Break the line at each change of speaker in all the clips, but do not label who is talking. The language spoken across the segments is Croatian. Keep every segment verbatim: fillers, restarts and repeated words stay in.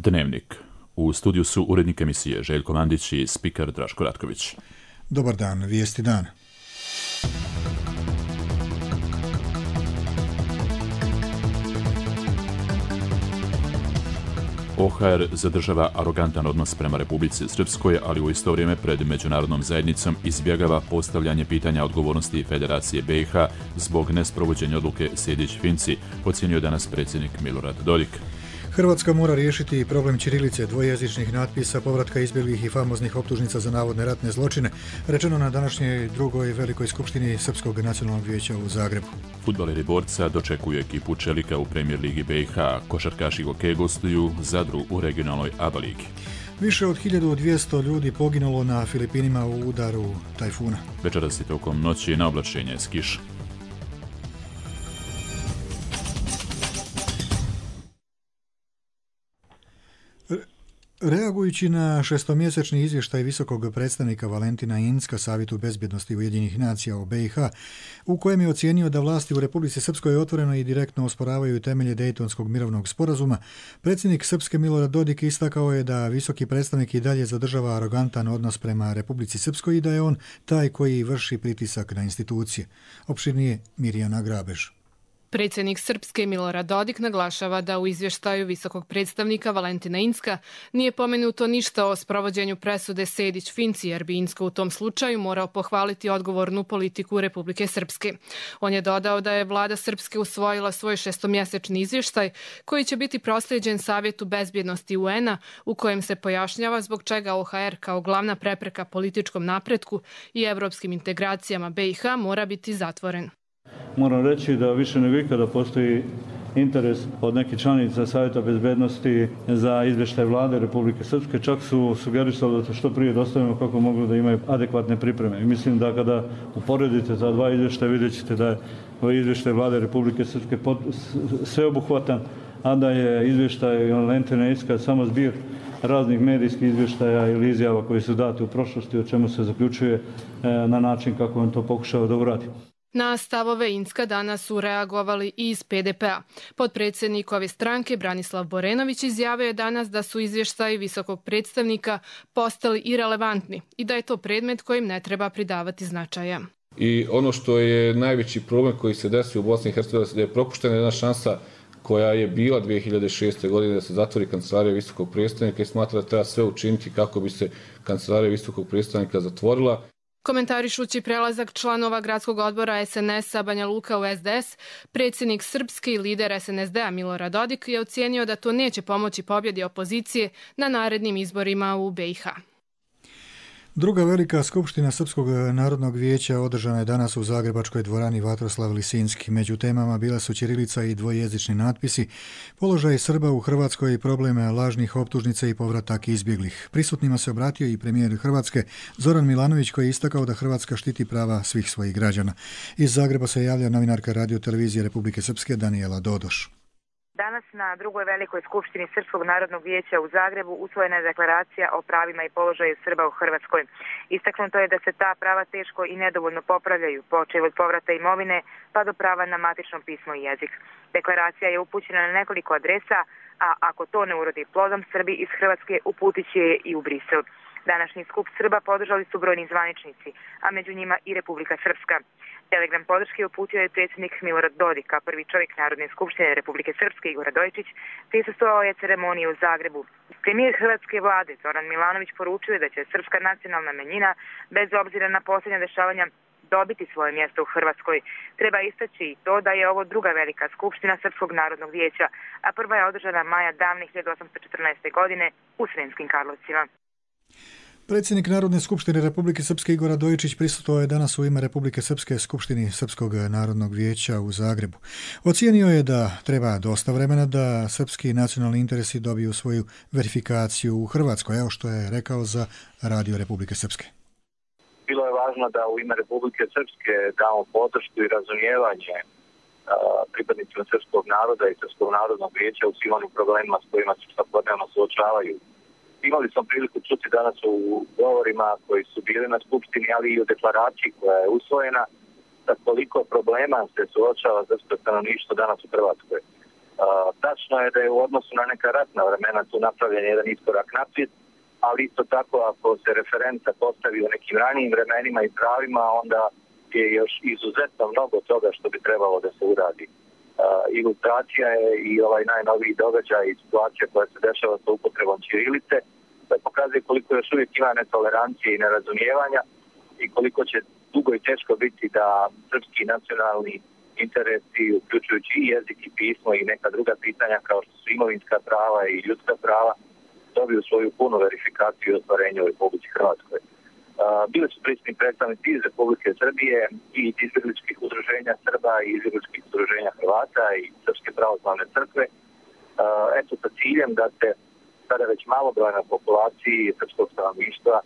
Dnevnik. U studiju su urednik emisije Željko Mandić i spiker Draško Ratković.
Dobar dan, vijesti dana.
O H R zadržava arogantan odnos prema Republici Srpskoj, ali u isto vrijeme pred međunarodnom zajednicom izbjegava postavljanje pitanja odgovornosti Federacije B i H zbog nesprovođenja odluke Sejdić-Finci, ocijenio danas predsjednik Milorad Dodik.
Hrvatska mora riješiti problem ćirilice, dvojezičnih natpisa, povratka izbjeglih i famoznih optužnica za navodne ratne zločine, rečeno na današnjoj drugoj velikoj skupštini Srpskog nacionalnog vijeća u Zagrebu.
Fudbaleri Borca dočekuju ekipu Čelika u Premier ligi B i H, košarkaši Gokeje gostuju Zadru u regionalnoj A B A ligi.
Više od hiljadu dvjesto ljudi poginulo na Filipinima u udaru tajfuna.
Večeras i tokom noći na oblačenje s kišom.
Reagujući na šestomjesečni izvještaj visokog predstavnika Valentina Incka Savjetu bezbjednosti Ujedinjenih nacija o B i H, u kojem je ocijenio da vlasti u Republici Srpskoj otvoreno i direktno osporavaju temelje Dejtonskog mirovnog sporazuma, predsjednik Srpske Milorad Dodik istakao je da visoki predstavnik i dalje zadržava arogantan odnos prema Republici Srpskoj i da je on taj koji vrši pritisak na institucije. Opširnije Mirjana Grabež.
Predsjednik Srpske Milorad Dodik naglašava da u izvještaju visokog predstavnika Valentina Incka nije pomenuto ništa o sprovođenju presude Sejdić-Finci, jer bi Incko u tom slučaju morao pohvaliti odgovornu politiku Republike Srpske. On je dodao da je vlada Srpske usvojila svoj šestomjesečni izvještaj koji će biti proslijeđen Savjetu bezbjednosti U N-a, u kojem se pojašnjava zbog čega O H R kao glavna prepreka političkom napretku i evropskim integracijama B i H mora biti zatvoren.
Moram reći da više nego ikada postoji interes od nekih članica Savjeta bezbednosti za izvještaj vlade Republike Srpske. Čak su sugerisali da to što prije dostavimo kako mogu da imaju adekvatne pripreme. I mislim da kada uporedite ta dva izvještaja vidjet ćete da je ovaj izvještaj vlade Republike Srpske sveobuhvatan, a da je izvještaj Valentina Incka samo zbir raznih medijskih izvještaja ili izjava koji su dati u prošlosti, o čemu se zaključuje na način kako on to pokušava da uradi.
Na stavove Incka danas su reagovali i iz P D P-a. Potpredsjednik ove stranke Branislav Borenović izjavio je danas da su izvještaji visokog predstavnika postali irelevantni i da je to predmet kojim ne treba pridavati značaja.
I ono što je najveći problem koji se desio u Bosni i Hercegovini da je propuštena jedna šansa koja je bila dvije hiljade šeste. godine da se zatvori kancelarija visokog predstavnika i smatra da treba sve učiniti kako bi se kancelarija visokog predstavnika zatvorila.
Komentarišući prelazak članova gradskog odbora S N S-a Banja Luka u S D S, predsjednik Srpske i lider S N S D-a Milorad Dodik je ocijenio da to neće pomoći pobjedi opozicije na narednim izborima u B i H.
Druga velika skupština Srpskog narodnog vijeća održana je danas u zagrebačkoj dvorani Vatroslav Lisinski. Među temama bila su ćirilica i dvojezični natpisi, položaj Srba u Hrvatskoj i probleme lažnih optužnica i povratak izbjeglih. Prisutnima se obratio i premijer Hrvatske Zoran Milanović koji je istakao da Hrvatska štiti prava svih svojih građana. Iz Zagreba se javlja novinarka Radio televizije Republike Srpske Danijela Dodoš.
Danas na drugoj velikoj skupštini Srpskog narodnog vijeća u Zagrebu usvojena je deklaracija o pravima i položaju Srba u Hrvatskoj. Istaknuto je da se ta prava teško i nedovoljno popravljaju, počev od povrata imovine pa do prava na matično pismo i jezik. Deklaracija je upućena na nekoliko adresa, a ako to ne urodi plodom, Srbi iz Hrvatske uputit će je i u Brisel. Današnji skup Srba podržali su brojni zvaničnici, a među njima i Republika Srpska. Telegram podrške uputio je predsjednik Milorad Dodik, a prvi čovjek Narodne skupštine Republike Srpske Igor Radojičić prisustvovao je ceremoniji u Zagrebu. Premijer hrvatske vlade Zoran Milanović poručuje da će srpska nacionalna manjina, bez obzira na posljednja dešavanja, dobiti svoje mjesto u Hrvatskoj. Treba istaći i to da je ovo druga velika skupština Srpskog narodnog vijeća, a prva je održana maja davne hiljadu osamsto četrnaeste. godine u Sremskim Karlovcima.
Predsjednik Narodne skupštine Republike Srpske Igor Radojičić prisustvovao je danas u ime Republike Srpske skupštini Srpskog narodnog vijeća u Zagrebu. Ocijenio je da treba dosta vremena da srpski nacionalni interesi dobiju svoju verifikaciju u Hrvatskoj, evo što je rekao za Radio Republike Srpske.
Bilo je važno da u ime Republike Srpske damo podršku i razumijevanje pripadnicima srpskog naroda i Srpskog narodnog vijeća u svim onim problemima s kojima se svakodnevno suočavaju. Imali smo priliku čuti danas u govorima koji su bili na skupštini, ali i u deklaraciji koja je usvojena, da koliko problema se suočava srpsko stanovništvo danas u Hrvatskoj. Tačno je da je u odnosu na neka ratna vremena tu napravljen jedan iskorak naprijed, ali isto tako ako se referenca postavi u nekim ranijim vremenima i pravima, onda je još izuzetno mnogo toga što bi trebalo da se uradi. Ilustracija je i ovaj najnoviji događaj i situacija koja se dešava sa upotrebom ćirilice, da pokazuje koliko još uvijek ima netolerancije i nerazumijevanja i koliko će dugo i teško biti da srpski nacionalni interesi, uključujući i jezik i pismo i neka druga pitanja kao što su imovinska prava i ljudska prava, dobiju svoju punu verifikaciju i ostvarenje u Republici Hrvatskoj. Bili su prisutni predstavnici iz Republike Srbije i izbjegličkih udruženja Srba i izbjegličkih udruženja Hrvata i Srpske pravoslavne crkve. Eto, sa ciljem da se sada već malobrojnoj populaciji srpskog stanovništva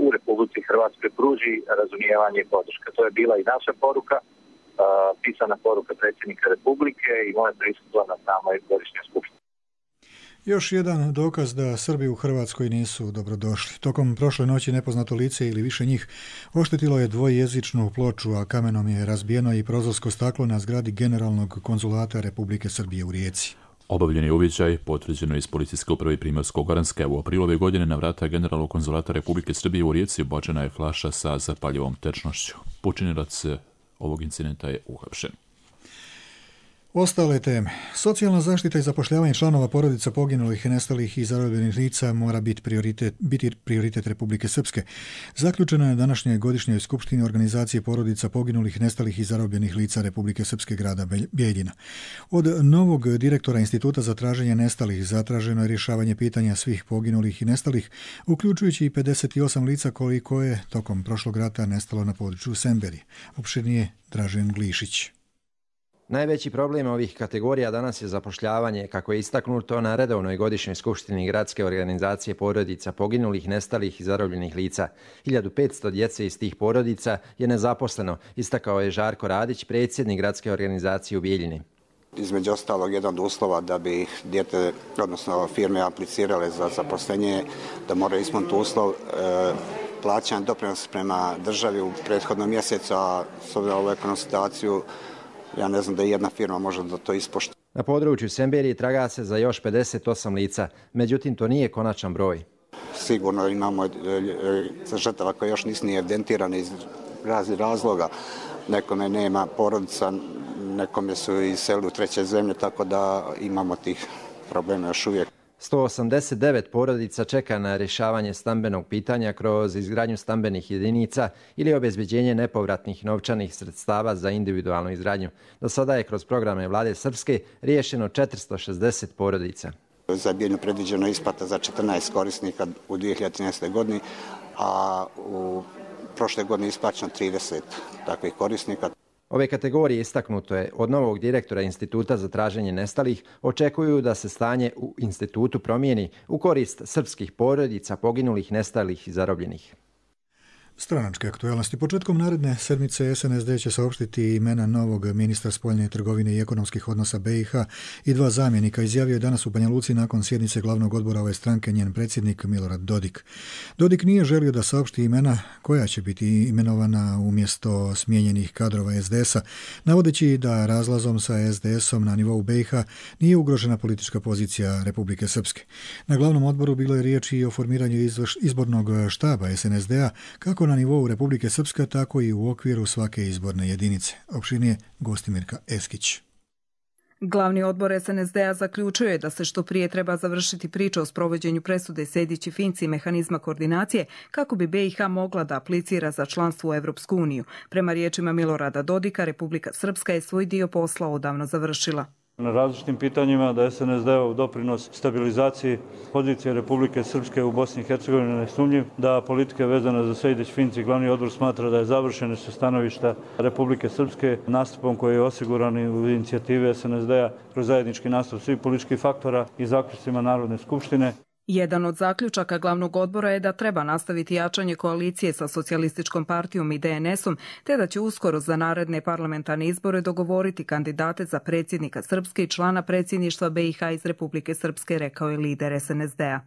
u Republici Hrvatskoj pruži razumijevanje i podrška. To je bila i naša poruka, pisana poruka predsjednika Republike i moje prisustvo na samoj godišnjoj skupštini.
Još jedan dokaz da Srbi u Hrvatskoj nisu dobrodošli. Tokom prošle noći nepoznato lice ili više njih oštetilo je dvojezičnu ploču, a kamenom je razbijeno i prozorsko staklo na zgradi Generalnog konzulata Republike Srbije u Rijeci.
Obavljen je uviđaj, potvrđeno iz policijske uprave Primorsko-goranske. U aprilu ove godine na vrata Generalnog konzulata Republike Srbije u Rijeci ubačena je flaša sa zapaljivom tečnošću. Počinilac ovog incidenta je uhapšen.
Ostale teme. Socijalna zaštita i zapošljavanje članova porodica poginulih, nestalih i zarobljenih lica mora biti prioritet, biti prioritet Republike Srpske. Zaključeno je današnje godišnjoj skupštini organizacije porodica poginulih, nestalih i zarobljenih lica Republike Srpske grada Bijeljina. Od novog direktora Instituta za traženje nestalih zatraženo je rješavanje pitanja svih poginulih i nestalih, uključujući i pedeset osam lica koliko je tokom prošlog rata nestalo na području Semberije. Opširnije Dražen Glišić.
Najveći problem ovih kategorija danas je zapošljavanje, kako je istaknuto na redovnoj godišnjoj skupštini Gradske organizacije porodica poginulih, nestalih i zarobljenih lica. hiljadu petsto djece iz tih porodica je nezaposleno, istakao je Žarko Radić, predsjednik Gradske organizacije u Bijeljini.
Između ostalog, jedan od uslova da bi dijete, odnosno firme aplicirale za zaposlenje, da moraju ispuniti uslov e, plaćanja doprinosa prema državi u prethodnom mjesecu, a s obzirom na ovu ekonomsku situaciju, ja ne znam da jedna firma može da to ispoštuje.
Na području Semberije traga se za još pedeset osam lica, međutim to nije konačan broj.
Sigurno imamo žrtava koje još nisu ni evidentirane iz raznih razloga. Nekome nema porodica, nekome su iselili u treće zemlje, tako da imamo tih problema još uvijek.
sto osamdeset devet porodica čeka na rješavanje stambenog pitanja kroz izgradnju stambenih jedinica ili obezbeđenje nepovratnih novčanih sredstava za individualnu izgradnju. Do sada je kroz programe Vlade Srpske riješeno četiristo šezdeset porodica.
Za Bijeljinu predviđeno isplata za četrnaest korisnika u dvije hiljade trinaestoj. godini, a u prošle godine isplaćeno trideset takvih korisnika.
Ove kategorije, istaknuto je, od novog direktora Instituta za traženje nestalih očekuju da se stanje u institutu promijeni u korist srpskih porodica poginulih, nestalih i zarobljenih.
Stranačke aktualnosti. Početkom naredne sedmice S N S D će saopštiti imena novog ministra spoljne trgovine i ekonomskih odnosa B i H i dva zamjenika, izjavio je danas u Banja Luci nakon sjednice glavnog odbora ove stranke njen predsjednik Milorad Dodik. Dodik nije želio da saopšti imena koja će biti imenovana umjesto smijenjenih kadrova S D S-a, navodeći da razlazom sa S D S-om na nivou B i H nije ugrožena politička pozicija Republike Srpske. Na glavnom odboru bilo je riječ i o formiranju izbornog štaba S N S D-a, kako na nivou Republike Srpske, tako i u okviru svake izborne jedinice. Opširnije Gostimirka Eskić.
Glavni odbor S N S D-a zaključuje da se što prije treba završiti priča o sprovođenju presude Sejdić i Finci mehanizma koordinacije kako bi B i H mogla da aplicira za članstvo u Evropsku uniju. Prema riječima Milorada Dodika, Republika Srpska je svoj dio posla odavno završila.
Na različitim pitanjima da S N S D-ov doprinos stabilizaciji pozicije Republike Srpske u Bosni i Hercegovini nesumnjiv, da politika vezana za Sejdić-Finci glavni odbor smatra da je završena sa stanovišta Republike Srpske nastupom koji je osiguran u inicijativi S N S D-a kroz zajednički nastup svih političkih faktora i zaključcima Narodne skupštine.
Jedan od zaključaka glavnog odbora je da treba nastaviti jačanje koalicije sa Socijalističkom partijom i D N S-om, te da će uskoro za naredne parlamentarne izbore dogovoriti kandidate za predsjednika Srpske i člana predsjedništva B i H iz Republike Srpske, rekao je lider S N S D-a.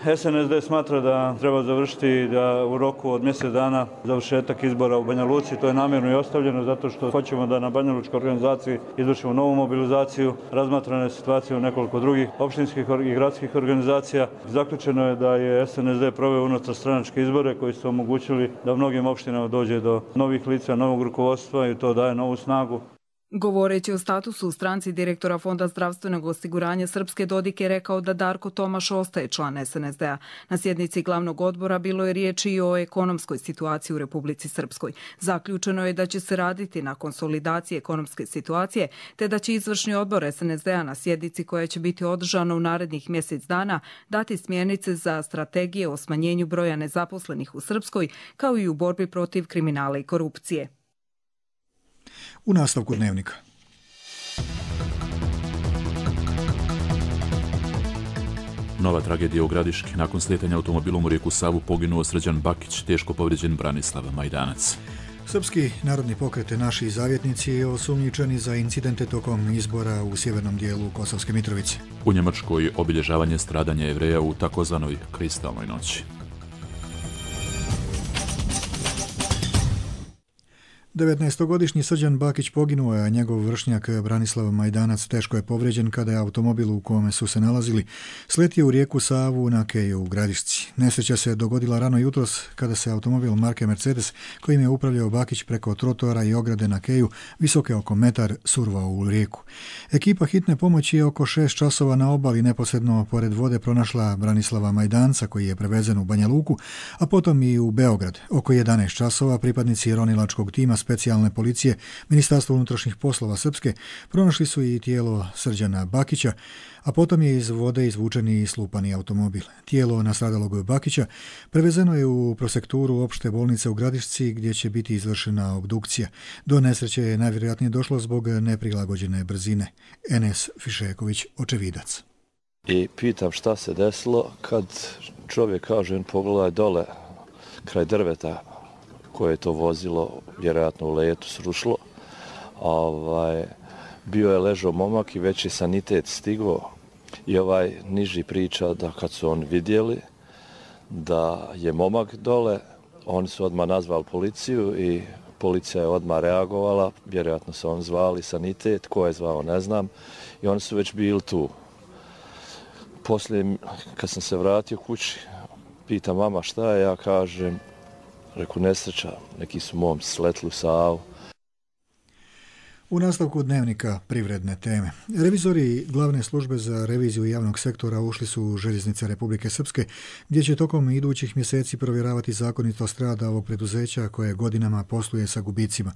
S N S D smatra da treba završiti da u roku od mjesec dana završetak izbora u Banja Luci. To je namjerno i ostavljeno zato što hoćemo da na Banja Lučkoj organizaciji izvršimo novu mobilizaciju. Razmatrana je situacija u nekoliko drugih opštinskih i gradskih organizacija. Zaključeno je da je S N S D proveo unutarstranačke izbore koji su omogućili da u mnogim opštinama dođe do novih lica, novog rukovodstva i to daje novu snagu.
Govoreći o statusu u stranci, direktora Fonda zdravstvenog osiguranja Srpske Dodik je rekao da Darko Tomaš ostaje član S N S D-a. Na sjednici glavnog odbora bilo je riječi i o ekonomskoj situaciji u Republici Srpskoj. Zaključeno je da će se raditi na konsolidaciji ekonomske situacije, te da će izvršni odbor S N S D-a na sjednici koja će biti održana u narednih mjesec dana dati smjernice za strategije o smanjenju broja nezaposlenih u Srpskoj, kao i u borbi protiv kriminala i korupcije.
U nastavku dnevnika.
Nova tragedija u Gradiški. Nakon slijetanja automobilom u rijeku Savu poginuo Srđan Bakić, teško povrijeđen Branislav Majdanac.
Srpski narodni pokret Naši zavjetnici je osumnjičeni za incidente tokom izbora u sjevernom dijelu Kosovske Mitrovice.
U Njemačkoj obilježavanje stradanja Jevreja u takozvanoj kristalnoj noći.
devetnaestogodišnji Srđan Bakić poginuo je, a njegov vršnjak Branislav Majdanac teško je povrijeđen kada je automobil u kome su se nalazili sletio u rijeku Savu na keju u Gradišci. Nesreća se dogodila rano jutros kada se automobil marke Mercedes, kojim je upravljao Bakić, preko trotoara i ograde na keju visoke oko metar survao u rijeku. Ekipa hitne pomoći je oko šest časova na obali neposredno pored vode pronašla Branislava Majdanca, koji je prevezen u Banja Luku, a potom i u Beograd. Oko jedanaest časova pripadnici ronilačkog tima specijalne policije Ministarstva unutrašnjih poslova Srpske pronašli su i tijelo Srđana Bakića, a potom je iz vode izvučen i slupani automobil. Tijelo nastradalog Bakića prevezeno je u prosekturu opšte bolnice u Gradišci, gdje će biti izvršena obdukcija. Do nesreće je najvjerojatnije došlo zbog neprilagođene brzine. Enes Fišeković, očevidac.
I pitam šta se desilo kad čovjek kaže, pogledaj dole kraj drveta koje je to vozilo, vjerojatno u letu srušilo. Ovaj, bio je ležao momak i već je sanitet stigao i ovaj niži priča da kad su on vidjeli da je momak dole, oni su odmah nazvali policiju i policija je odmah reagovala, vjerojatno su on zvali sanitet, ko je zvao ne znam, i oni su već bili tu. Poslije, kad sam se vratio kući, pita mama šta je, ja kažem, reku nesreća, neki su momci sletli u Savu.
U nastavku dnevnika privredne teme. Revizori glavne službe za reviziju javnog sektora ušli su u Željeznice Republike Srpske, gdje će tokom idućih mjeseci provjeravati zakonitost rada ovog preduzeća koje godinama posluje sa gubicima.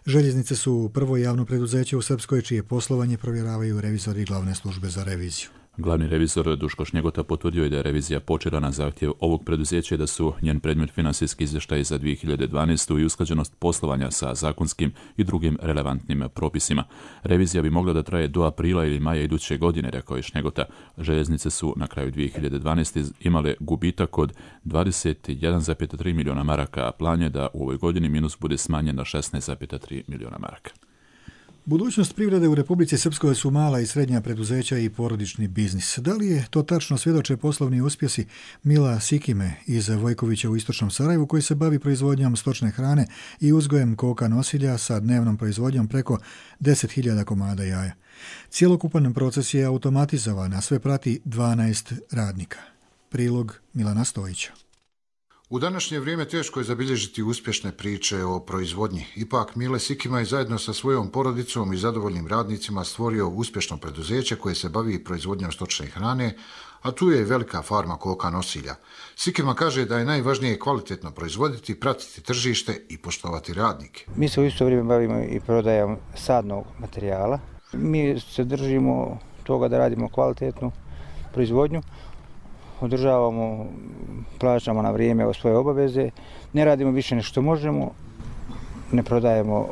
Željeznice su prvo javno preduzeće u Srpskoj čije poslovanje provjeravaju revizori glavne službe za reviziju.
Glavni revizor Duško Šnjegota potvrdio je da je revizija počela na zahtjev ovog preduzeća i da su njen predmet financijski izvještaj za dvije hiljade dvanaestu i usklađenost poslovanja sa zakonskim i drugim relevantnim propisima. Revizija bi mogla da traje do aprila ili maja iduće godine, rekao je Šnjegota. Željeznice su na kraju dvije hiljade dvanaeste. imale gubitak od dvadeset jedan zarez tri milijuna maraka, a plan je da u ovoj godini minus bude smanjen na šesnaest zarez tri milijuna maraka.
Budućnost privrede u Republici Srpskoj su mala i srednja preduzeća i porodični biznis. Da li je to tačno, svjedoče poslovni uspjesi Mila Sikime iz Vojkovića u istočnom Sarajevu, koji se bavi proizvodnjom stočne hrane i uzgojem koka nosilja sa dnevnom proizvodnjom preko deset hiljada komada jaja. Cijelokupan proces je automatizovan, a sve prati dvanaest radnika. Prilog Milana Stojića.
U današnje vrijeme teško je zabilježiti uspješne priče o proizvodnji. Ipak Mile Sikima je zajedno sa svojom porodicom i zadovoljnim radnicima stvorio uspješno preduzeće koje se bavi proizvodnjom stočne hrane, a tu je velika farma koka nosilja. Sikima kaže da je najvažnije kvalitetno proizvoditi, pratiti tržište i poštovati radnike.
Mi se u isto vrijeme bavimo i prodajom sadnog materijala. Mi se držimo toga da radimo kvalitetnu proizvodnju, održavamo, plaćamo na vrijeme svoje obaveze, ne radimo više nešto možemo, ne prodajemo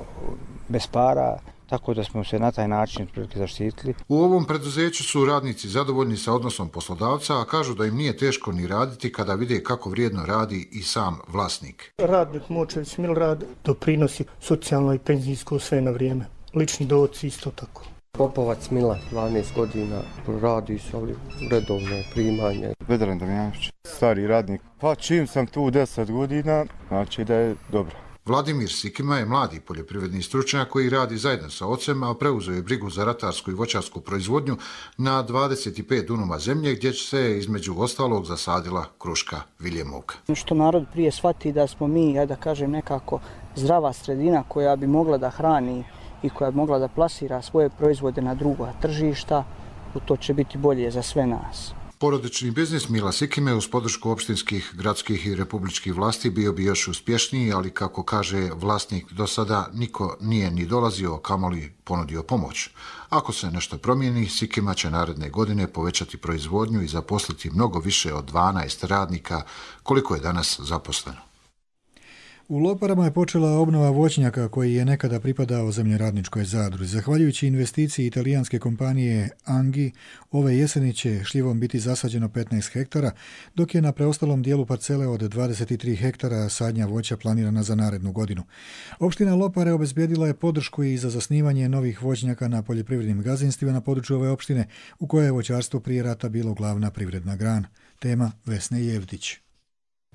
bez para, tako da smo se na taj način zaštitili.
U ovom preduzeću su radnici zadovoljni sa odnosom poslodavca, a kažu da im nije teško ni raditi kada vide kako vrijedno radi i sam vlasnik.
Radnik Močević Milorad doprinosi socijalno i penzijsko sve na vrijeme. Lični dohoci isto tako. Popovac Mila, dvanaest godina, radi se, ali redovno primanje.
Vedran Damjanović, stari radnik. Pa čim sam tu deset godina, znači da je dobro.
Vladimir Sikima je mladi poljoprivredni stručnjak koji radi zajedno sa ocem, a preuzeo je brigu za ratarsku i voćarsku proizvodnju na dvadeset pet dunuma zemlje gdje će se između ostalog zasadila kruška viljemovka.
Što narod prije shvati da smo mi, ja da kažem, nekako zdrava sredina koja bi mogla da hrani i koja bi mogla da plasira svoje proizvode na druga tržišta, to će biti bolje za sve nas.
Porodični biznis Mila Sikime uz podršku opštinskih, gradskih i republičkih vlasti bio bi još uspješniji, ali kako kaže vlasnik, do sada niko nije ni dolazio, kamoli ponudio pomoć. Ako se nešto promijeni, Sikima će naredne godine povećati proizvodnju i zaposliti mnogo više od dvanaest radnika, koliko je danas zaposleno.
U Loparama je počela obnova voćnjaka koji je nekada pripadao zemljoradničkoj zadruzi. Zahvaljujući investiciji italijanske kompanije Angi, ove jeseni će šljivom biti zasađeno petnaest hektara, dok je na preostalom dijelu parcele od dvadeset tri hektara sadnja voća planirana za narednu godinu. Opština Lopare obezbijedila je podršku i za zasnivanje novih voćnjaka na poljoprivrednim gazdinstvima na području ove opštine, u kojoj je voćarstvo prije rata bilo glavna privredna grana. Tema Vesne Jevdić.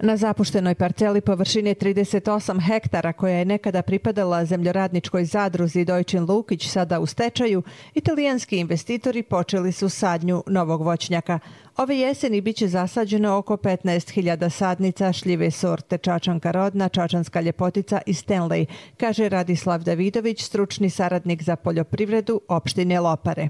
Na zapuštenoj parceli površine trideset osam hektara koja je nekada pripadala zemljoradničkoj zadruzi Dojčin Lukić, sada u stečaju, italijanski investitori počeli su sadnju novog voćnjaka. Ove jeseni biće zasađeno oko petnaest hiljada sadnica šljive sorte Čačanka rodna, Čačanska ljepotica i Stanley, kaže Radislav Davidović, stručni saradnik za poljoprivredu opštine Lopare.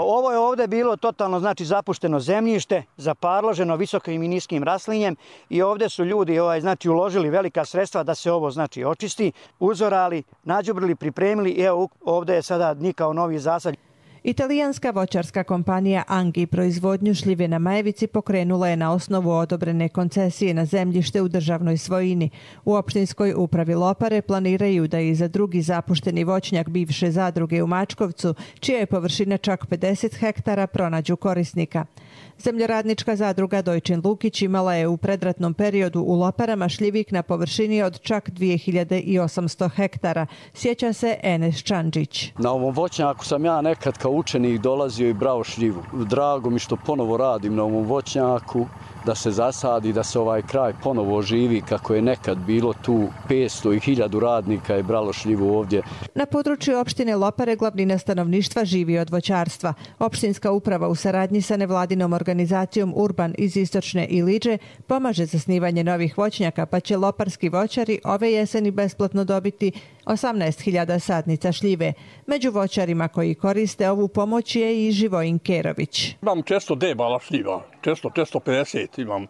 Ovo je ovdje bilo totalno znači zapušteno zemljište, zaparloženo visokim i niskim raslinjem i ovdje su ljudi ovaj, znači, uložili velika sredstva da se ovo znači očisti, uzorali, nađubrili, pripremili i evo ovdje je sada nikao novi zasad.
Italijanska voćarska kompanija Angi proizvodnju šljive na Majevici pokrenula je na osnovu odobrene koncesije na zemljište u državnoj svojini. U opštinskoj upravi Lopare planiraju da i za drugi zapušteni voćnjak bivše zadruge u Mačkovcu, čija je površina čak pedeset hektara, pronađu korisnika. Zemljoradnička zadruga Dojčin Lukić imala je u predratnom periodu u Loparama šljivik na površini od čak dvije hiljade osamsto hektara, sjeća se Enes Čandžić.
Na ovom voćnjaku sam ja nekad kao učenik dolazio i brao šljivu. Drago mi što ponovo radim na ovom voćnjaku, da se zasadi, da se ovaj kraj ponovo oživi kako je nekad bilo tu petsto i hiljadu radnika je bralo šljivu ovdje.
Na području opštine Lopare glavnina stanovništva živi od voćarstva. Opštinska uprava u saradnji sa nevladinom organizacijom Urban iz Istočne Iliđe pomaže zasnivanje novih voćnjaka, pa će loparski voćari ove jeseni besplatno dobiti osamnaest hiljada sadnica šljive. Među voćarima koji koriste ovu pomoć je i Živojin Kerović.
Imam često debala šljiva, često, često pedeset imam.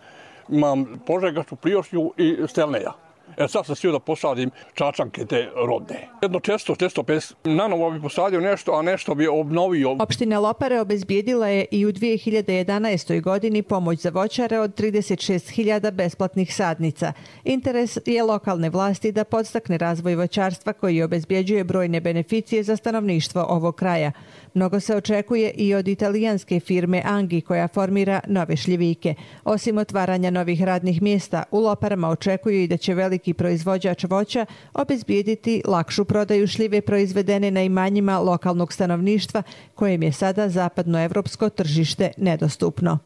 Imam Požegačku, Priošnju i Stelneja. E sad sam htio da posadim Čačanke te rodne. Jedno često, često pedeset. Nanovo bi posadio nešto, a nešto bi obnovio.
Opština Lopare obezbijedila je i u dvije hiljade jedanaestoj godini pomoć za voćare od trideset šest hiljada besplatnih sadnica. Interes je lokalne vlasti da podstakne razvoj voćarstva koji obezbjeđuje brojne beneficije za stanovništvo ovog kraja. Mnogo se očekuje i od italijanske firme Angi koja formira nove šljivike. Osim otvaranja novih radnih mjesta, u Loparama očekuju i da će veliki proizvođač voća obezbijediti lakšu prodaju šljive proizvedene na imanjima lokalnog stanovništva kojem je sada zapadnoevropsko tržište nedostupno.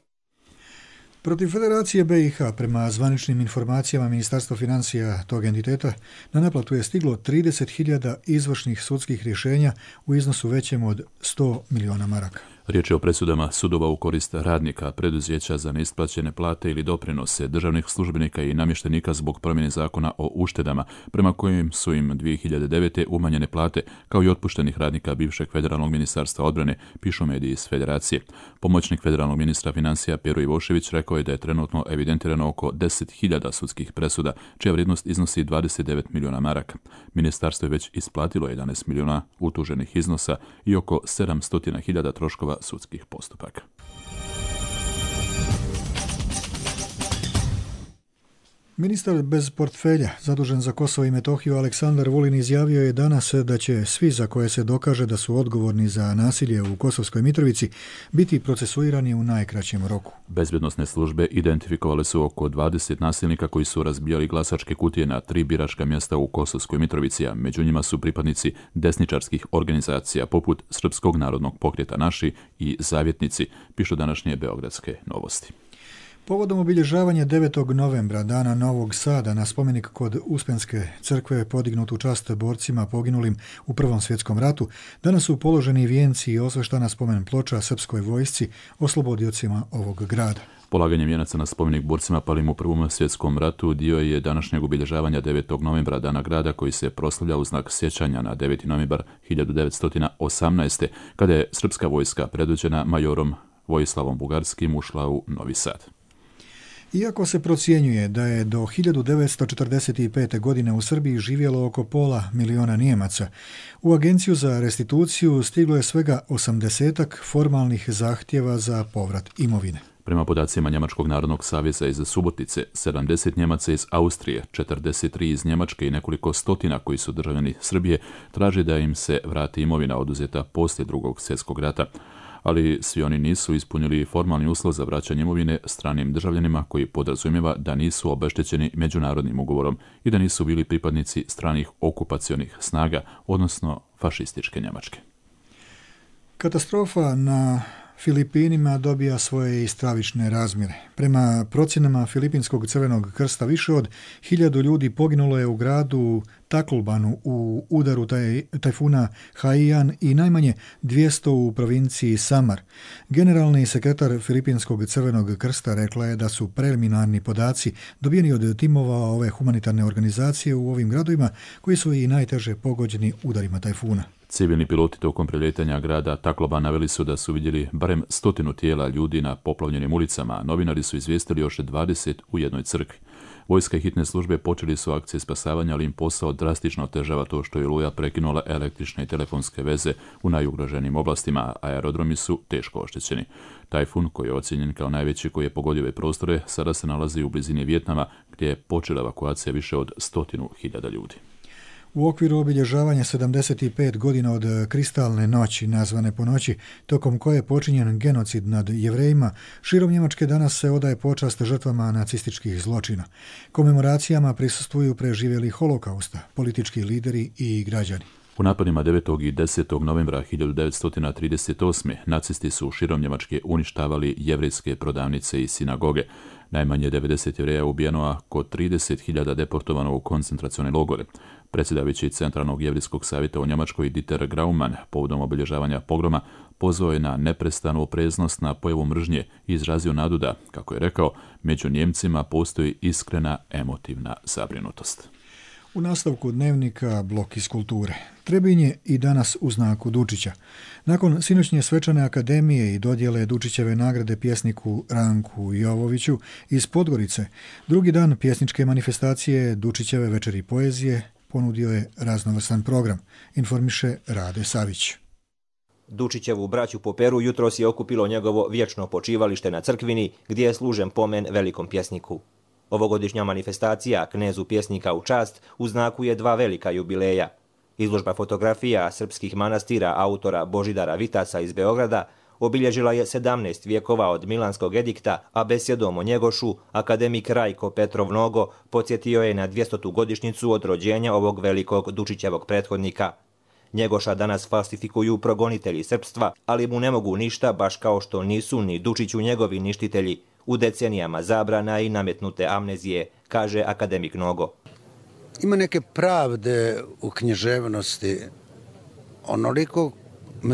Protiv Federacije B i H, prema zvaničnim informacijama Ministarstva financija tog entiteta, na naplatu je stiglo trideset hiljada izvršnih sudskih rješenja u iznosu većem od sto miliona maraka.
Riječ je o presudama sudova u korist radnika, preduzeća za neisplaćene plate ili doprinose, državnih službenika i namještenika zbog promjene zakona o uštedama, prema kojim su im dvije hiljade devete umanjene plate, kao i otpuštenih radnika bivšeg federalnog ministarstva odbrane, pišu mediji iz Federacije. Pomoćnik federalnog ministra financija Pero Ivošević rekao je da je trenutno evidentirano oko deset hiljada sudskih presuda, čija vrijednost iznosi dvadeset devet miliona maraka. Ministarstvo je već isplatilo jedanaest miliona utuženih iznosa i oko sedamsto hiljada troškova sudskih postupaka.
Ministar bez portfelja, zadužen za Kosovo i Metohiju, Aleksandar Vulin izjavio je danas da će svi za koje se dokaže da su odgovorni za nasilje u Kosovskoj Mitrovici biti procesuirani u najkraćem roku.
Bezbjednosne službe identifikovale su oko dvadeset nasilnika koji su razbijali glasačke kutije na tri biračka mjesta u Kosovskoj Mitrovici, a među njima su pripadnici desničarskih organizacija poput Srpskog narodnog pokreta Naši i Zavjetnici, pišu današnje Beogradske novosti.
Povodom obilježavanja devetog novembra, dana Novog Sada, na spomenik kod Uspenske crkve podignut u čast borcima poginulim u Prvom svjetskom ratu, danas su položeni vijenci i osveštana spomen ploča srpskoj vojsci, oslobodiocima ovog grada.
Polaganjem vijenaca na spomenik borcima palim u Prvom svjetskom ratu dio je današnjeg obilježavanja devetog novembra, dana grada koji se proslavlja u znak sjećanja na deveti novembar hiljadu devetsto osamnaeste. kada je srpska vojska predvođena majorom Vojislavom Bugarskim ušla u Novi Sad.
Iako se procjenjuje da je do hiljadu devetsto četrdeset pete. godine u Srbiji živjelo oko pola miliona Nijemaca, u Agenciju za restituciju stiglo je svega osamdesetak formalnih zahtjeva za povrat imovine.
Prema podacima Njemačkog narodnog saveza iz Subotice, sedamdeset Njemaca iz Austrije, četrdeset tri iz Njemačke i nekoliko stotina koji su državljani Srbije traže da im se vrati imovina oduzeta poslije drugog svjetskog rata. Ali svi oni nisu ispunili formalni uslov za vraćanje imovine stranim državljanima koji podrazumijeva da nisu obeštećeni međunarodnim ugovorom i da nisu bili pripadnici stranih okupacionih snaga, odnosno fašističke Njemačke.
Katastrofa na Filipinima dobija svoje i stravične razmjere. Prema procjenama Filipinskog crvenog krsta više od hiljadu ljudi poginulo je u gradu Tacloban u udaru taj, tajfuna Haiyan i najmanje dvjesto u provinciji Samar. Generalni sekretar Filipinskog crvenog krsta rekla je da su preliminarni podaci dobijeni od timova ove humanitarne organizacije u ovim gradovima koji su i najteže pogođeni udarima tajfuna.
Civilni piloti tokom prelijetanja grada Tacloban naveli su da su vidjeli barem stotinu tijela ljudi na poplavljenim ulicama, a novinari su izvijestili još dvadeset u jednoj crkvi. Vojska i hitne službe počeli su akcije spasavanja, ali im posao drastično otežava to što je oluja prekinula električne i telefonske veze u najugroženijim oblastima, a aerodromi su teško oštećeni. Tajfun, koji je ocijenjen kao najveći koji je pogodio ove prostore, sada se nalazi u blizini Vijetnama, gdje je počela evakuacija više od stotinu hiljada ljudi.
U okviru obilježavanja sedamdeset pet godina od Kristalne noći, nazvane po noći, tokom koje je počinjen genocid nad Jevrejima, širom Njemačke danas se odaje počast žrtvama nacističkih zločina. Komemoracijama prisustvuju preživjeli holokausta, politički lideri i građani.
U napadima devetog i desetog novembra hiljadu devetsto trideset osme. nacisti su širom Njemačke uništavali jevrejske prodavnice i sinagoge. Najmanje devedeset Jevreja ubijeno, a oko trideset hiljada deportovano u koncentracione logore. Predsjedavajući Centralnog jevrijskog savjeta u Njemačkoj Dieter Grauman povodom obilježavanja pogroma pozvao je na neprestanu opreznost na pojavu mržnje i izrazio nadu da, kako je rekao, među Njemcima postoji iskrena emotivna zabrinutost.
U nastavku dnevnika blok iz kulture. Trebinj je i danas u znaku Dučića. Nakon sinoćnje svečane akademije i dodjele Dučićeve nagrade pjesniku Ranku Jovoviću iz Podgorice, drugi dan pjesničke manifestacije Dučićeve večeri poezije ponudio je raznovrstan program, informiše Rade Savić.
Dučićevu braću po Peru jutros je okupilo njegovo vječno počivalište na Crkvini, gdje je služen pomen velikom pjesniku. Ovogodišnja manifestacija Knezu pjesnika u čast u znaku je dva velika jubileja. Izložba fotografija srpskih manastira autora Božidara Vitasa iz Beograda obilježila je sedamnaest vijekova od Milanskog edikta, a besjedom o Njegošu akademik Rajko Petrov Nogo podsjetio je na dvjestotu godišnjicu od rođenja ovog velikog Dučićevog prethodnika. Njegoša danas falsifikuju progonitelji srpstva, ali mu ne mogu ništa, baš kao što nisu ni Dučiću njegovi ništitelji u decenijama zabrana i nametnute amnezije, kaže akademik Nogo.
Ima neke pravde u književnosti, onoliko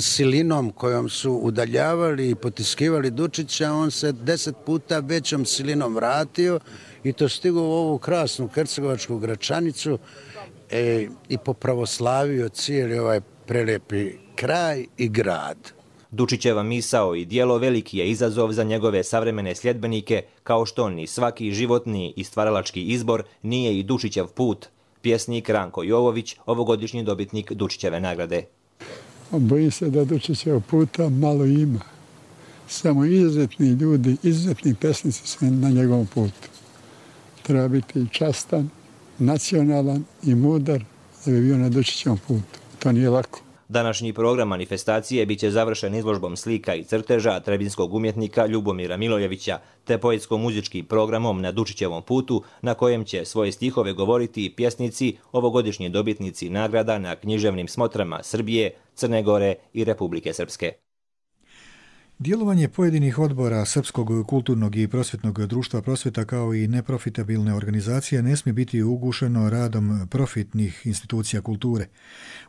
silinom kojom su udaljavali i potiskivali Dučića, on se deset puta većom silinom vratio i to stigao u ovu krasnu hercegovačku Gračanicu e, i popravoslavio cijeli ovaj prelepi kraj i grad.
Dučićeva misao i dijelo veliki je izazov za njegove savremene sljedbenike, kao što ni svaki životni i stvaralački izbor nije i Dučićev put. Pjesnik Ranko Jovović, ovogodišnji dobitnik Dučićeve nagrade.
Bojim se da Dučićev puta malo ima. Samo izuzetni ljudi, izuzetni pesnici su na njegovom putu. treba biti častan, nacionalan i mudar da bi bio na Dučićevom putu. To nije lako.
Današnji program manifestacije biće završen izložbom slika i crteža trebinskog umjetnika Ljubomira Milojevića te poetsko-muzičkim programom na Dučićevom putu na kojem će svoje stihove govoriti pjesnici, ovogodišnji dobitnici nagrada na književnim smotrama Srbije, Crne Gore i Republike Srpske.
Djelovanje pojedinih odbora Srpskog kulturnog i prosvjetnog društva Prosvjeta kao i neprofitabilne organizacije ne smije biti ugušeno radom profitnih institucija kulture.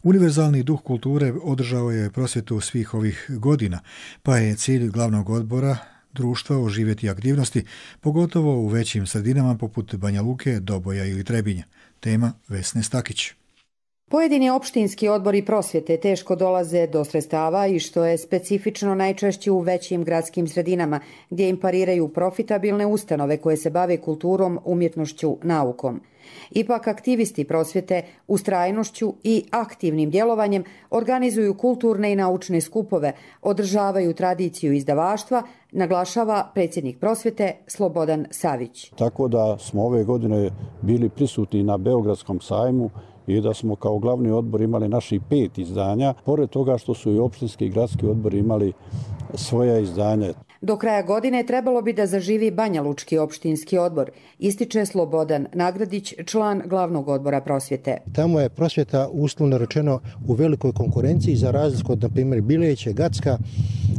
Univerzalni duh kulture održao je prosvjetu svih ovih godina, pa je cilj glavnog odbora društva oživjeti aktivnosti, pogotovo u većim sredinama poput Banja Luke, Doboja ili Trebinja. Tema Vesne Stakić.
Pojedini opštinski odbori prosvjete teško dolaze do sredstava i što je specifično najčešće u većim gradskim sredinama gdje im pariraju profitabilne ustanove koje se bave kulturom, umjetnošću, naukom. Ipak aktivisti prosvjete ustrajnošću i aktivnim djelovanjem organizuju kulturne i naučne skupove, održavaju tradiciju izdavaštva, naglašava predsjednik prosvjete Slobodan Savić.
Tako da smo ove godine bili prisutni na Beogradskom sajmu i da smo kao glavni odbor imali naših pet izdanja, pored toga što su i opštinski i gradski odbori imali svoja izdanja.
Do kraja godine trebalo bi da zaživi Banja Lučki opštinski odbor, ističe Slobodan Nagradić, član glavnog odbora prosvjete.
Tamo je prosvjeta uslovno rečeno u velikoj konkurenciji za razliku od, na primjer, Bileće, Gacka,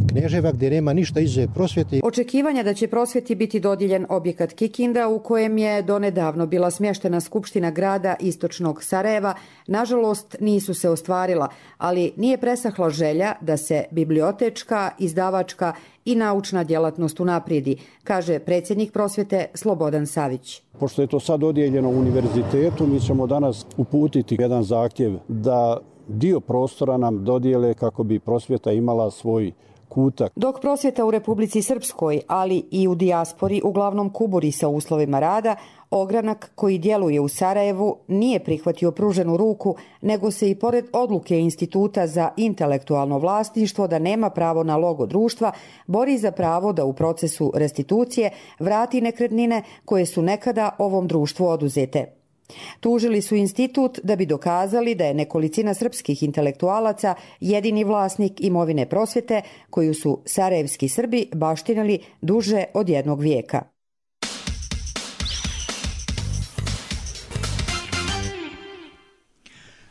Kneževa, gdje nema ništa izuzev prosvjete.
Očekivanja da će prosvjeti biti dodijeljen objekat Kikinda u kojem je donedavno bila smještena Skupština grada Istočnog Sarajeva, nažalost nisu se ostvarila, ali nije presahla želja da se bibliotečka, izdavačka i naučna djelatnost unaprijedi, kaže predsjednik prosvjete Slobodan Savić.
Pošto je to sad dodijeljeno univerzitetu, mi ćemo danas uputiti jedan zahtjev da dio prostora nam dodijele kako bi prosvjeta imala svoj kutak.
Dok prosvjeta u Republici Srpskoj, ali i u dijaspori uglavnom kuburi sa uslovima rada, ogranak koji djeluje u Sarajevu nije prihvatio pruženu ruku, nego se i pored odluke Instituta za intelektualno vlasništvo da nema pravo na logo društva, bori za pravo da u procesu restitucije vrati nekretnine koje su nekada ovom društvu oduzete. Tužili su institut da bi dokazali da je nekolicina srpskih intelektualaca jedini vlasnik imovine prosvjete koju su sarajevski Srbi baštinili duže od jednog vijeka.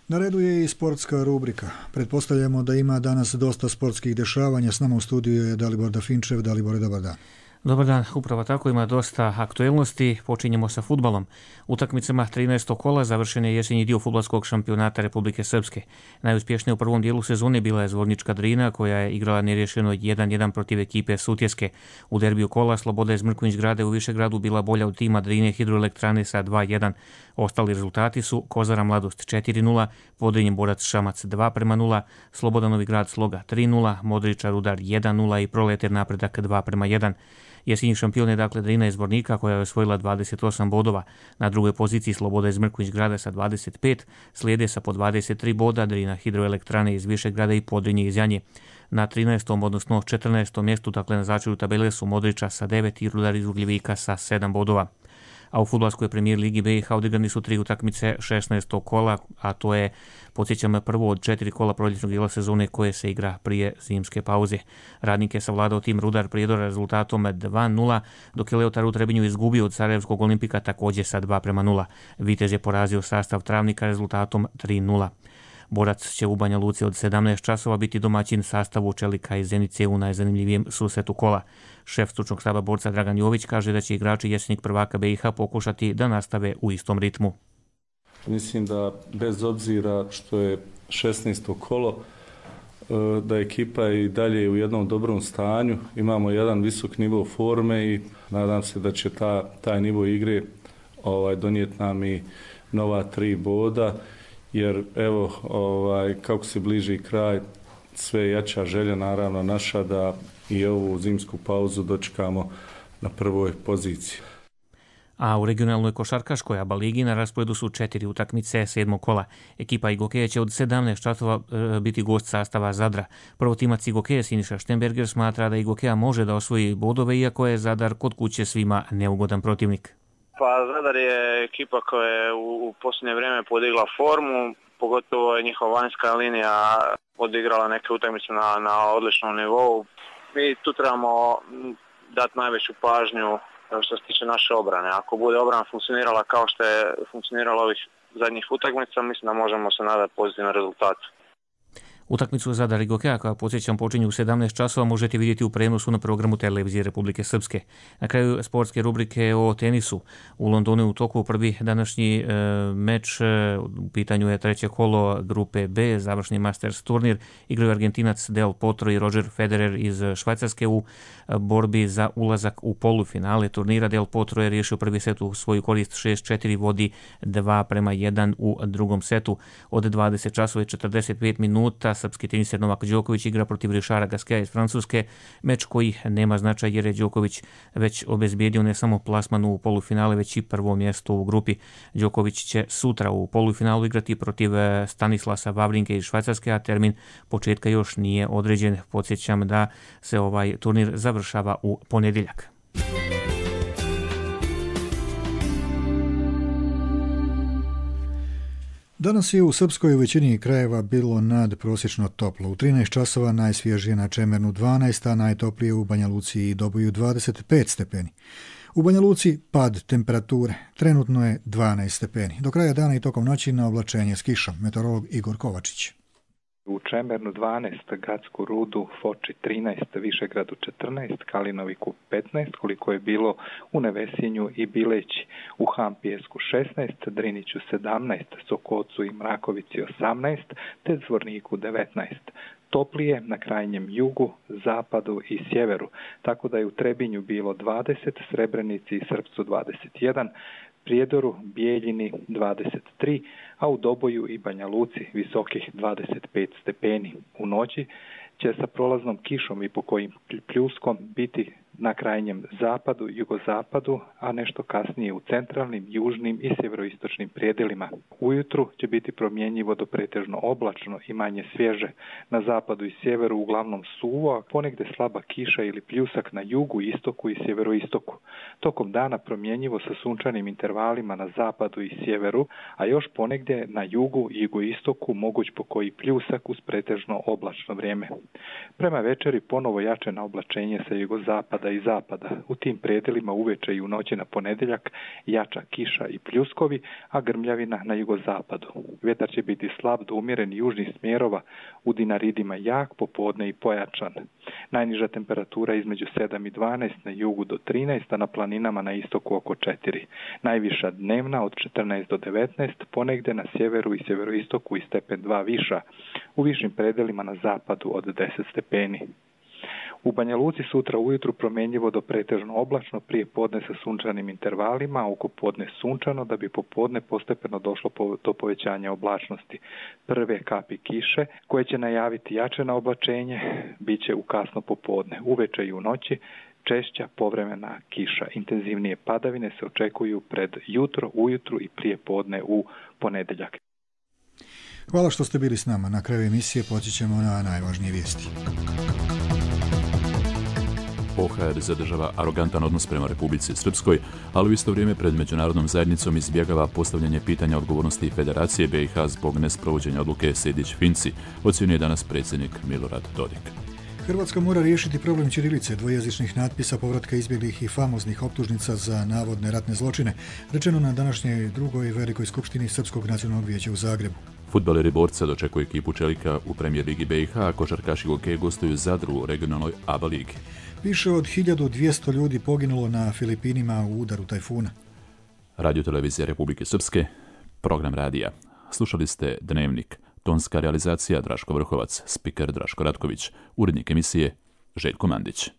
Na redu je i sportska rubrika. Pretpostavljamo da ima danas dosta sportskih dešavanja. S nama u studiju je Dalibor Dafinčev. Dalibor, dobar dan.
Dobar dan, upravo tako, ima dosta aktuelnosti. Počinjemo sa fudbalom. Utakmicama trinaestog kola završen je jesenji dio fudbalskog šampionata Republike Srpske. Najuspješnija u prvom dijelu sezone bila je Zvornička Drina, koja je igrala nerješeno jedan jedan protiv ekipe Sutjeske. U derbiju kola Sloboda iz Mrkonjić Grada u Višegradu bila bolja od tima Drine Hidroelektrane sa dva jedan. Ostali rezultati su Kozara Mladost četiri nula, Podrinje Borac Šamac dva prema nula, Sloboda Novi Grad Sloga tri nula, Modriča Rudar jedan nula i Proleter Napredak dva prema jedan. Jesenji šampion je dakle Drina iz Zvornika koja je osvojila dvadeset osam bodova. Na drugoj poziciji Sloboda iz Mrkonjić Grada sa dvadeset pet, slijede sa po dvadeset tri boda Drina Hidroelektrane iz Višegrada i Podrinje iz Janje. Na trinaestom odnosno četrnaestom mjestu, dakle na začelju tabele su Modriča sa devet i Rudar iz Ugljevika sa sedam bodova. A u fudbalskoj premijer ligi B i H odigrani su tri utakmice šesnaestog kola, a to je, podsjećam, prvo od četiri kola proljetnog dijela sezone koje se igra prije zimske pauze. Radnik je savladao tim Rudar Prijedor rezultatom dva nula, dok je Leotar u Trebinju izgubio od Sarajevskog Olimpika također sa dva prema nula. Vitez je porazio sastav Travnika rezultatom tri nula. Borac će u Banja Luci od sedamnaest časova biti domaćin sastavu Čelika i Zenice u najzanimljivijem susretu kola. Šef stručnog štaba Borca Dragan Jović kaže da će igrači jesenjeg prvaka B i H pokušati da nastave u istom ritmu.
Mislim da bez obzira što je šesnaesto kolo, da ekipa i dalje u jednom dobrom stanju, imamo jedan visok nivo forme i nadam se da će ta, taj nivo igre ovaj, donijeti nam i nova tri boda. Jer evo, ovaj, kako se bliži kraj, sve jača želja naravno naša da i ovu zimsku pauzu dočekamo na prvoj poziciji.
A u regionalnoj košarkaškoj ABA ligi na rasporedu su četiri utakmice sedmog kola. Ekipa Igokeja će od sedamnaest časova e, biti gost sastava Zadra. Prvotimac Igokeja Siniša Štenberger smatra da Igokeja može da osvoji bodove, iako je Zadar kod kuće svima neugodan protivnik.
Pa Zadar je ekipa koja je u, u posljednje vrijeme podigla formu, pogotovo je njihova vanjska linija odigrala neke utakmice na, na odličnom nivou. Mi tu trebamo dati najveću pažnju što se tiče naše obrane. Ako bude obrana funkcionirala kao što je funkcionirala ovih zadnjih utakmica, mislim da možemo se nadati pozitivnom rezultatu.
Utakmicu Zadar i Gokeja, koja podsjećam počinju u sedamnaest časova, možete vidjeti u prenosu na programu Televizije Republike Srpske. Na kraju sportske rubrike o tenisu. U Londonu je u toku prvi današnji e, meč. E, u pitanju je treće kolo grupe B, završni Masters turnir. Igraju Argentinac Del Potro i Roger Federer iz Švajcarske u borbi za ulazak u polufinale turnira. Del Potro je riješio prvi set u svoju korist šest četiri, vodi dva prema jedan u drugom setu. Od dvadeset časova i četrdeset pet minuta srpski teniser Novak Đoković igra protiv Richarda Gasqueta iz Francuske, meč koji nema značaj jer je Đoković već obezbijedio ne samo plasman u polufinale, već i prvo mjesto u grupi. Đoković će sutra u polufinalu igrati protiv Stanislasa Wawrinke iz Švajcarske, a termin početka još nije određen. Podsjećam da se ovaj turnir završava u ponedjeljak.
Danas je u Srpskoj u većini krajeva bilo nadprosječno toplo. U trinaest časova najsvježije na Čemernu dvanaest, a najtoplije u Banja Luci i Doboju dvadeset pet stepeni. U Banja Luci pad temperature, trenutno je dvanaest stepeni. Do kraja dana i tokom noći na oblačenje s kišom. Meteorolog Igor Kovačić.
U Čemernu dvanaest, Gacku Rudu, Foči trinaest, Višegradu četrnaest, Kalinoviku petnaest, koliko je bilo u Nevesinju i Bileći, u Hampijesku šesnaest, Driniću sedamnaest, Sokocu i Mrakovici osamnaest, te Zvorniku devetnaest. Toplije na krajnjem jugu, zapadu i sjeveru, tako da je u Trebinju bilo dvadeset, Srebrenici i Srpcu dvadeset jedan, Prijedoru, Bijeljini dvadeset tri, a u Doboju i Banja Luci visokih dvadeset pet stepeni. U noći će sa prolaznom kišom i pokojim pljuskom biti na krajnjem zapadu, jugozapadu, a nešto kasnije u centralnim, južnim i sjeveroistočnim predjelima. Ujutru će biti promjenjivo do pretežno oblačno i manje svježe. Na zapadu i sjeveru uglavnom suvo, a ponegde slaba kiša ili pljusak na jugu, istoku i sjeveroistoku. Tokom dana promjenjivo sa sunčanim intervalima na zapadu i sjeveru, a još ponegdje na jugu i jugoistoku moguć pokoji pljusak uz pretežno oblačno vrijeme. Prema večeri ponovo jače na oblačenje sa jugozapada i zapada. U tim predjelima uveče i u noći na ponedjeljak jača kiša i pljuskovi, a grmljavina na jugozapadu. Vjetar će biti slab do umjeren južnih smjerova, u Dinaridima jak, popodne i pojačan. Najniža temperatura između sedam i dvanaest, na jugu do trinaest, a na planinama na istoku oko četiri. Najviša dnevna od četrnaest do devetnaest, ponegdje na sjeveru i sjeveroistoku i stepen dva viša. U višim predjelima na zapadu od deset stepeni. U Banja Luci sutra ujutru promjenjivo do pretežno oblačno, prije podne sa sunčanim intervalima, a oko podne sunčano, da bi popodne postepeno došlo do povećanja oblačnosti. Prve kapi kiše, koje će najaviti jače na oblačenje, bit će u kasno popodne. Uveče i u noći češća povremena kiša. Intenzivnije padavine se očekuju pred jutro, ujutru i prije podne u ponedjeljak.
Hvala što ste bili s nama. Na kraju emisije podsjećamo na najvažnije vijesti.
O H R zadržava arogantan odnos prema Republici Srpskoj, ali u isto vrijeme pred međunarodnom zajednicom izbjegava postavljanje pitanja odgovornosti Federacije B i H zbog nesprovođenja odluke Sejdić-Finci, ocjenjuje danas predsjednik Milorad Dodik.
Hrvatska mora riješiti problem ćirilice, dvojezičnih natpisa, povratka izbjeglih i famoznih optužnica za navodne ratne zločine, rečeno na današnjoj drugoj velikoj skupštini Srpskog nacionalnog vijeća u Zagrebu.
Fudbaleri Borca dočekuju ekipu Čelika u premijer ligi B i H, a košarkaši Gokeje gostuju Zadru u regionalnoj A B A ligi.
Više od hiljadu dvjesto ljudi poginulo na Filipinima u udaru tajfuna.
Radio Televizija Republike Srpske, program radija. Slušali ste Dnevnik. Tonska realizacija Draško Vrhovac, spiker Draško Ratković, urednik emisije Željko Mandić.